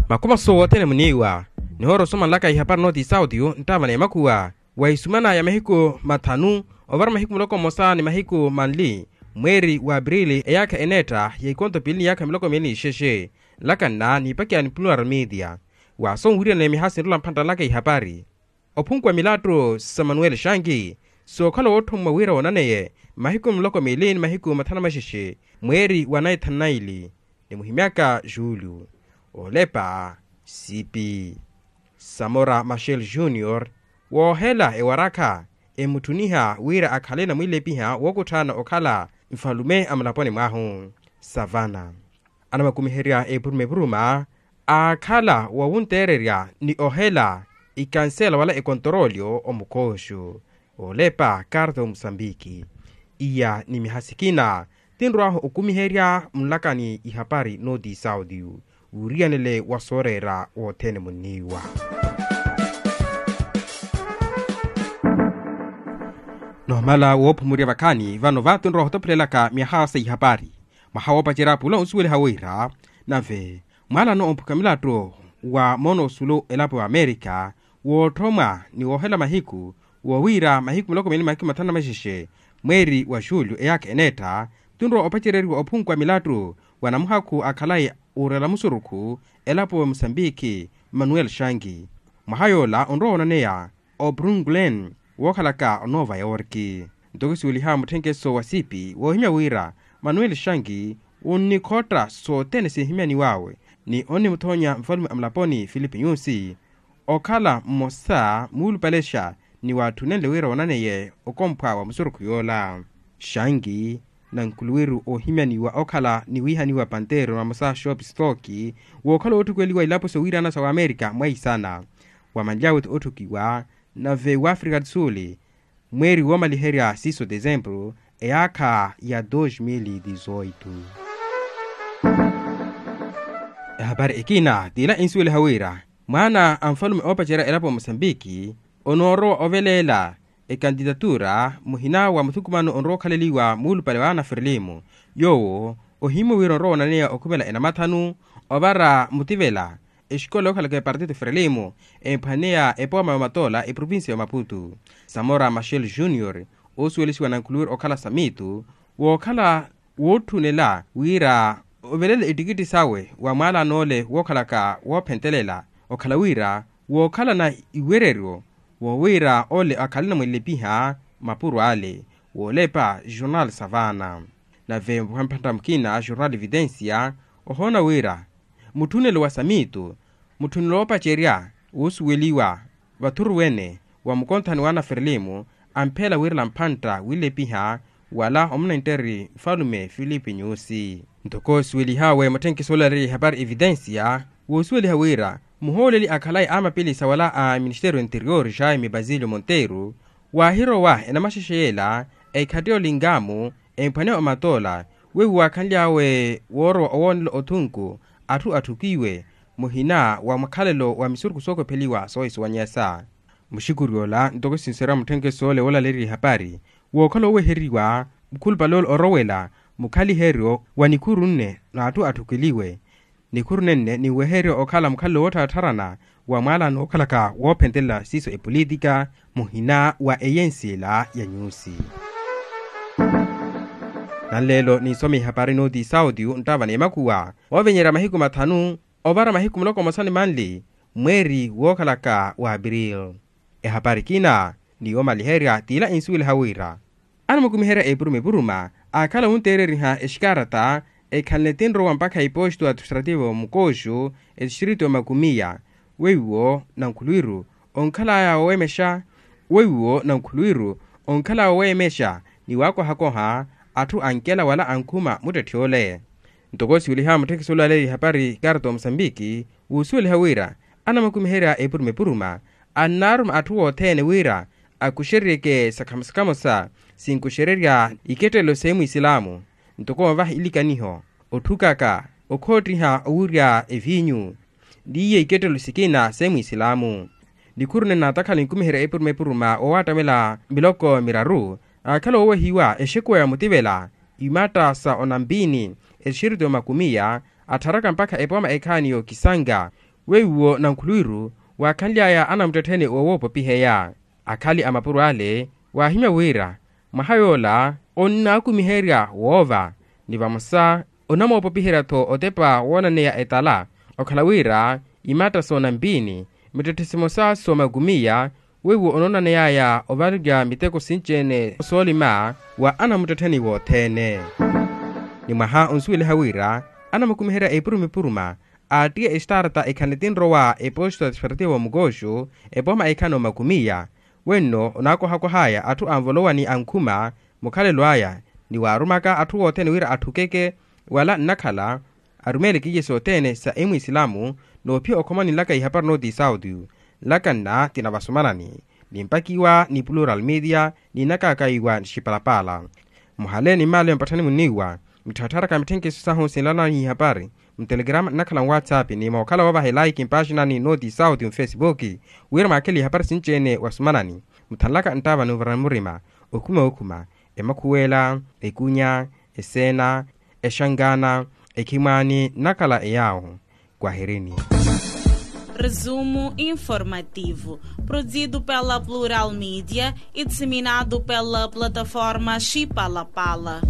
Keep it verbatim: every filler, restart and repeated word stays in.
Makumaso wothene muniiwa. Nihoora osomanlaka ihapari nooti isauti nttaava na emakhuwa, wa isumana ya mahiku mathanu ovara mahiku muloko mmosa ni mahiku manli, mweeri wa aprili eyaakha eneetta ya ikonto piili ni yaakha miloko miili ni ixexe. Nlakanna niipakiya ni plural media. Wa sonwiiryanani miha sinrola mphantta nlaka ihapari. Ophunkuwa milattu sa manuel shangi, sookhala wootthommwa wira woonaneye mahiku muloko miili ni mahiku mathanu maxexe, mweeri wa naithanu naili, ni muhimyaka julio. Oolepa, sipi samora machel junior, woohela ewarakha, emutthuniha wira akhale namwiilepiha wookutthana okhala nfalume a mulaponi mwahu. Savana, anamakumiherya epuruma epuruma, aakhala wowunteererya ni ohela ikansela wala ekontorolyo omukooxu. Oolepa karta omusambiki. Iya ni miha sikina tinrwaahu okumiherya munlakani ihapari nooti isauti, wuriyanele wa sooreera wothene munniiwa. Noomala woophumurya vakhaani vano vaati onrowa ohotophulelaka myaha sa ihapari. Mwaha woopacerya pula onsuweliha wira, nave mwaalano omphuka milattu wa moono osulu elapo ya amerika, wootthomwa ni woohela mahiku, wowiira mahiku miloko miili mahiku mathanu na maxexe, mweeri wa julio eyaakha eneetta, tunrowa opacereriwa ophunkuwa milattu wa namuhakhu akhalayi uurela musurukhu elapo wa musambiki, manuel shangi. Mwaha yoola onrowa woonaneya obrunglen wookhalaka onova yorki. Ntoko suweliha mutthenkeso wa sipi woohimya wira manuel shangi onnikhotta sothene sinhimyaniwawe, ni onnimuthoonya nfalume a mulaponi filipe nyusi okhala mmosa muulupalexa ni waatthunenle wira woonaneye okomphwa wa musurukhu yoola. Shangi, nankuluwiru oohimyaniwa okhala niwiihaniwa panteero namosa shopstoki, wookhala wootthukweliwa ilapo sowiirana sa wamerika mwaisana, wamanly'awe-tho otthukiwa nave wafrika do sul, mweeri woomaliherya siiso desempuru eyaakha ya dos mil e dezoito. Ehapari ekina t'ila ensuweliha wira mwaana a nfalume oopacerya elapo ya musambiki onoorowa oveleela ekantitatura muhina wa muthukumano onrowa okhaleliwa muulupale wa ana frelimo, yoowo ohimmwe wira onrowa onaneya okhumela enamathanu ovara mutivela exikola yookhalaka epartito frelimo emphwaneya epooma ya omatoola eprovincia ya omaputu. Samora machel junior oosuwelisiwa nankhuluwiri okhala samitu wookhala wootthunela wira ovelela ettikitti sawe wa mwaalano ole wookhalaka woophentelela okhala wira wookhalana iwereryo wowiira ole akhalana mwilepiha mapuro ale. Woolepa jornal savana nave mphantta mukina jornal evidencia ohoona wira mutthunelo wa samitu mutthunelo woopacerya woosuweliwa vathuruwene wa mukonthani wa anaferelimu ampheela wiirela mphantta wiilepiha wala omunentteri nfalume filipe nyusi. Ntoko osuwelihawe mutthenkiso olaleeriye ehapari evidencia woosuweliha wira muhooleli akhalayi a mapilisa wala a ministeriyo interior jaime basilio monteiro waahirowa enamaxexe yeela ekhatti yoolinga-mu emphwaneya omatoola weiwo waakhanly'awe woorowa owoonela othunku atthu atthukiwe muhina wa mukhalelo wa misurukhu sookopheliwa soohisuwanyesa. Muxikuri ola ntoko sinserya mutthenkeso ole woolaleeriye ehapari wookhala ooweheriwa mukhulupale ole orowela mukhaliheryo wa nikhuru nne n'atthu atthukeliwe nikhuru nenne ninweheryo okhala mukhalelo woottharatharana wa mwaalano wookhalaka woophentelela siiso epolitika muhina wa eyensi ela ya nyusi. Nanleelo ninsome ihapari nooti isauti nttaava n'emakhuwa oovenyerya mahiku mathanu ovara mahiku muloko mmosa ni manli mweeri wookhalaka wa april. Ehapari ekina ni yoomaliherya t'ila ensuweliha wira anamukumiherya epuruma epuruma aakhala wunteereriha exikaarata ekhanle tinrowa mpakha eposto administrativo mukooxu etistritu ya makumiya weiwo nankhuluwiru onkhalaya woowemexa weiwo nankhuluwiru onkhalaya woowemexa ni waakohakoha atthu ankela wala ankhuma muttetthi ole. Ntoko siweliha mutthekisi olaleeriye ehapari karta wa musambiki wuusuweliha wira anamakumiherya epuruma epuruma annaaruma atthu othene wira akuxereryeke sakhamo sakhamo sa sinkuxererya ikettelelo s'emwisilaamu ntoko onvaha ilikaniho otthukaka okhoottiha owurya eviinyu n'iye ikettelelo sikina s'emwisilaamu. Nikhuru nene naatakhala ninkumiherya epuruma epuruma woowaattamela miloko miraru aakhala oowehiwa exekuwa ya mutivela imatta sa onampiini exirito makumiya attharaka mpakha epooma ekhaani yookisanga Weiwo nankhuluwiru waakhanly'aya anamuttettheni oowoopopiheya akhali a mapuro ale, waahimya wira mwaha yoola onnaakumiherya woova, ni vamosa onamoopopiherya-tho otepa woonaneya etala okhala wira imatta soonampiini mittetthe simosa soomakumiya. Weiwo onoonaney'aya ovalelya miteko sinci-ene soolima wa anamuttettheni wothene. Ni mwaha onsuweliha wira anamukumiherya epuruma epuruma aattiya estarta ekhale tinrowa eposto administrativo mukooxu epooma ekhano makumiya. Wenno onaakohakoh'aya atthu anvolowa ni ankhuma mukhalelo aya, ni waarumaka atthu wothene wira atthukeke wala nnakhala arumeele kiiye sothene sa emwisilamu. Noophiya okhoma ninlaka ihapari nooti sauti nlaka nna tinavasumanani nimpakiwa ni plural media ninakakaiwa nixipalapala. Muhale ni mmaale mpatthani munniiwa mitthattharaka mitthenkeso sahu sinlanani ihapari mutelegrama nnakhala nwatsapp ni mookhala woovaha elaiki mpaxinani nooti sauti mufesipuki wira mwaakhele ihapari sinci-ene wasumanani muthanlaka nttaava ni ovarani murima okhuma okhuma emakhuwela ekunya eseena exangana ekhimwaani nnakhala eyaawo. Kwahirini. Resumo informativo produzido pela plural media e disseminado pela plataforma xipalapala.